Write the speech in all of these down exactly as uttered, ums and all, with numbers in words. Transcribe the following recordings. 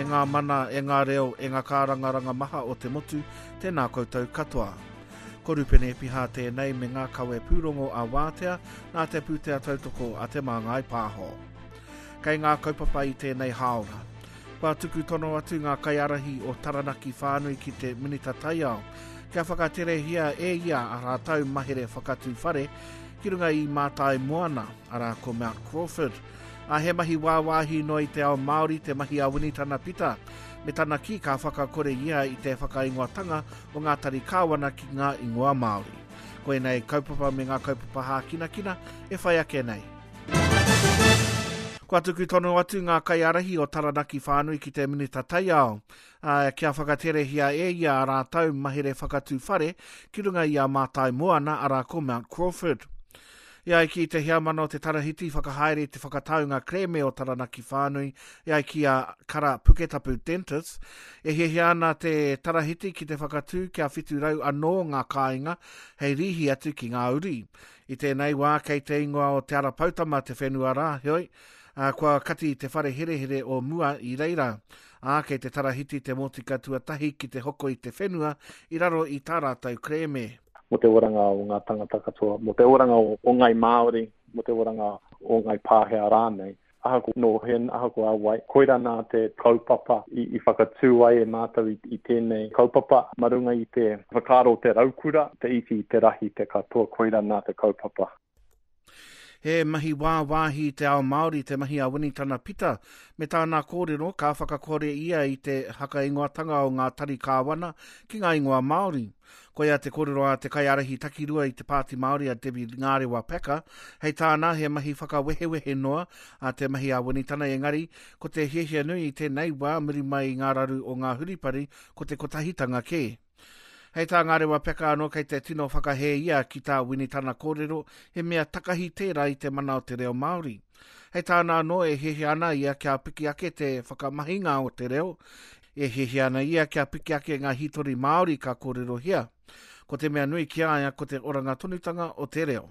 E ngā mana, e ngā reo, e ngā kārangaranga maha o te motu, tēnā koutou katoa. Ko Rupene Epiha tēnei me ngā kawe pūrongo a Wātea nā te pūtea tautoko a Te Māngai Pāho. Kei ngā kaupapa i tēnei hāora. Kua tuku tono atu ngā kaiārahi o Taranaki whānui ki te Minita Taiao kia whakaterehia e ia a rātou mahere whakatū whare ki runga i Mātai Moana, arā ko Mount Crawford. A he mahi wāwāhi noa i te ao Māori te mahi a Winitana Pita, me tana kī ka whakakore ia i te whakaingoatanga o ngā tari kāwana ki ngā ingoa Māori. Koinei kaupapa me ngā kaupapa hākinakina e whai ake nei. Kua tuku tono atu ngā kaiārahi o Taranaki whānui ki te Minita Taiao, ā, kia whakaterehia e ia a rātou mahere whakatū whare ki runga i a Mātai Moana, arā ko Mount Crawford. E ai ki te heamana o te Tarahiti whakahaere i te whakataunga kerēme o Taranaki whānui, e ai ki a Kara Puketapu Dentist, e hiahia ana te Tarahiti ki te whakatū kia whitu rau anō ngā kāinga hei rīhi atu ki ngā uri. I tēnei wā kei te ingoa o Te Ara Poutama te whenua rā, heoi, ā, kua kati te whare herehere o mua i reira. Ā, kei te Tarahiti te motika tuatahi ki te hoko i te whenua i raro i tā rātou kerēme. Mō te oranga o ngā tangata katoa, mō te oranga o, o ngai Māori, mō te oranga o ngai Pākehā rānei. Ahako nō hea, ahako a wai, koira nā te kaupapa i, i whakatū ai e mātou i, i tēnei kaupapa, mā runga i te whakaaro o te raukura, te iti, te rahi, te katoa, koira nā te kaupapa. He mahi wāwāhi i te ao Māori te mahi a Winitana Pita, me tāna kōrero ka whakakore ia i te hakaingoatanga o ngā tari kāwana ki ngā ingoa Māori. Koia te kōrero a te kaiārahi takirua i te Pāti Māori a Debbie Ngārewa Packer, hei tāna he mahi whakawehewehe noa a te mahi a Winitana, engari ko te hiahia nui i tēnei wā muri mai i ngā raru o ngā huripari ko te kotahitanga kē. Hei tā Ngārewa Peka anō kei te tino whakahē ia ki tā Winitana kōrero, he mea takahi tērā i te mana o te reo Māori. Hei tāna anō e hiahia ana ia kia piki ake te whakamahinga o te reo, e hiahia ana ia kia piki ake ngā hītori Māori ka kōrerohia. Ko te mea nui ki a ia ko te oranga tonutanga o te reo.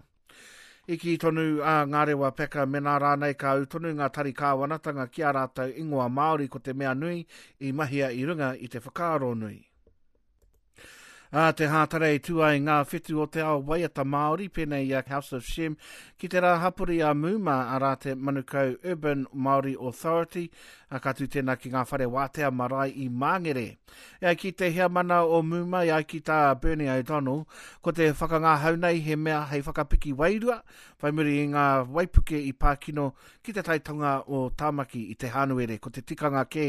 I kī tonu a Ngārewa Peka mēnā rānei ka ū tonu ngā tari kāwanatanga ki a rātou ingoa Māori ko te mea nui i mahia i runga i te whakaaro nui. Ā te hātara i tū ai ngā whetu o te ao waiata Māori, pēnei i a House of Shem, ki te rā hapori a Muma, arā te Manukau Urban Māori Authority, ā, ka tū tēnā ki ngā whare wātea marae i Māngere. E ai ki te heamana o Muma, e ai ki tā Bernie O'Donnell, ko te whakangahau nei he mea hei whakapiki wairua, whai muri i ngā waipuke i pākino ki te taitonga o Tāmaki i te Hānuere. Ko te tikanga kē,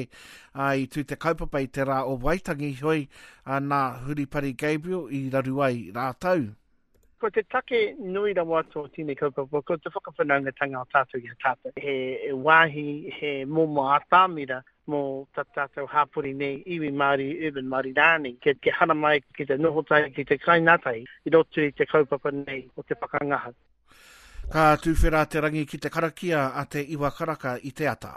ā, i tū te kaupapa i te rā o Waitangi, heoi, ā, nā Huripari Gabriel i raru ai rātou. Ko te take nui rawa atu o tēnei kaupapa, ko te whakawhanaungatanga o tātou i a tātou. He wāhi, he momo atamira mō tā tātou hapori nei, iwi Māori, urban Māori rānei, kia, kia haramai ki te noho tahi, ki te kai ngātahi i roto i te kaupapa nei o te whakangahau. Ka tūwhera te rangi ki te karakia a te iwa karaka i te ata.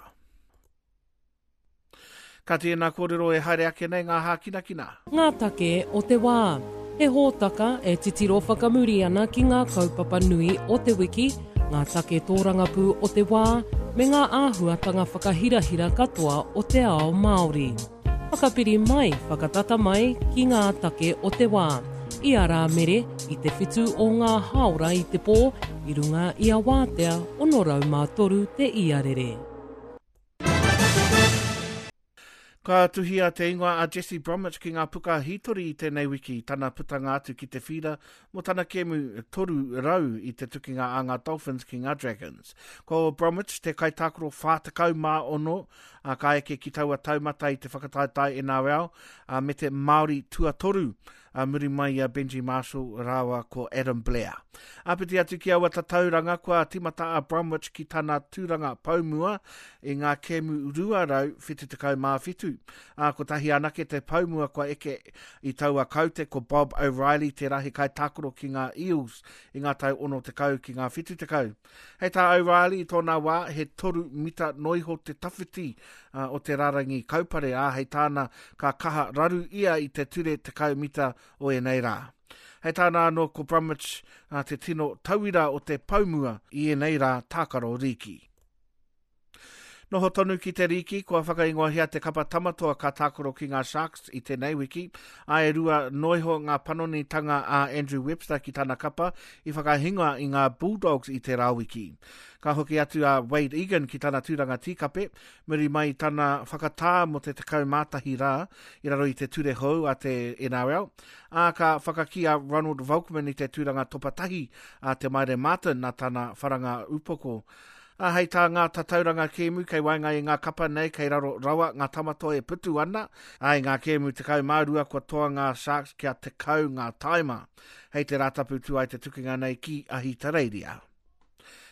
Ka tēnā kōrero e haere ake nei ngā hākinakina. Ngā take o te wā. He hōtaka e titiro whakamuri ana ki ngā kaupapa nui o te wiki, ngā take tōrangapū o te wā, me ngā āhuatanga whakahirahira katoa o te ao Māori. Whakapiri mai, whakatata mai ki ngā take o te wā. I a Rāmere, i te whitu o ngā hāora i te pō, i runga i a Wātea ono rau mā toru te iarere. Ka tuhia te ingoa a Jesse Bromwich ki ngā puka hītori i tēnei wiki, tana putanga atu ki te whīra mō tana kēmu toru rau i te tukinga a ngā Dolphins ki ngā Dragons. Ko Bromwich te kaitākaro whā tekau mā ono, ā, ka eke ki taua taumata i te whakataetae N R L, ā, me te Māori tuatoru, ā, muri mai i a Benji Marshall rāua ko Adam Blair. Āpiti atu ki aua tatauranga, kua timata a Bromwich ki tana tūranga paumua i ngā kēmu rua rau whitu tekau mā whitu. Ā, kotahi anake te paumua kua eke i taua kaute ko Bob O'Reilly te rahi kaitākaro ki ngā Eels i ngā tau ono tekau ki ngā whitu tekau. Hei tā O'Reilly i tōna wā, he toru mita noiho te tawhiti, ā, o te rarangi kaupare, ā, hei tāna ka kaha raru ia i te ture tekau mita o ēnei rā. Hei tāna anō ko Bromwich, ā, te tino tauira o te paumua i ēnei rā tākaro rīki. Noho tonu ki te rīki, kua whakaingoahia te kapa Tamatoa ka tākaro ki ngā Sharks i tēnei wiki, ā, e rua noa iho ngā panonitanga a Andrew Webster ki tana kapa i whakahinga i ngā Bulldogs i tērā wiki. Ka hoki atu a Wade Egan ki tana tūranga tīkape, muri mai i tana whakatā mō te tekau mā tahi rā i raro i te ture hou a te N R L, ā, ka whakakī a Ronald Volkman i te tūranga topa tahi a Te Maire Martin nā tana wharanga upoko. Ā, hei tā ngā tatauranga kēmu kei waenga i ngā kapa nei kei raro rawa ngā Tamatoa e putu ana, ā, i ngā kēmu tekau mā rua kua toa ngā Sharks kia tekau ngā taima. Hei te Rātapu tū ai te tukinga nei ki Ahitereiria.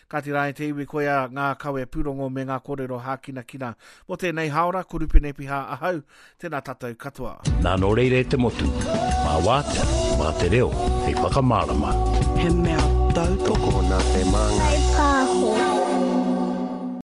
Kāti rā e te iwi, koia ngā kawe pūrongo me ngā kōrero hākinakina mō tēnei hāora. Ko Rupene Piha ahau, tēnā tātou katoa. Nā nō reira e te motu, mā wātea, mā te reo, hei whakamārama. He mea tautoko nā te māngai. Pāho.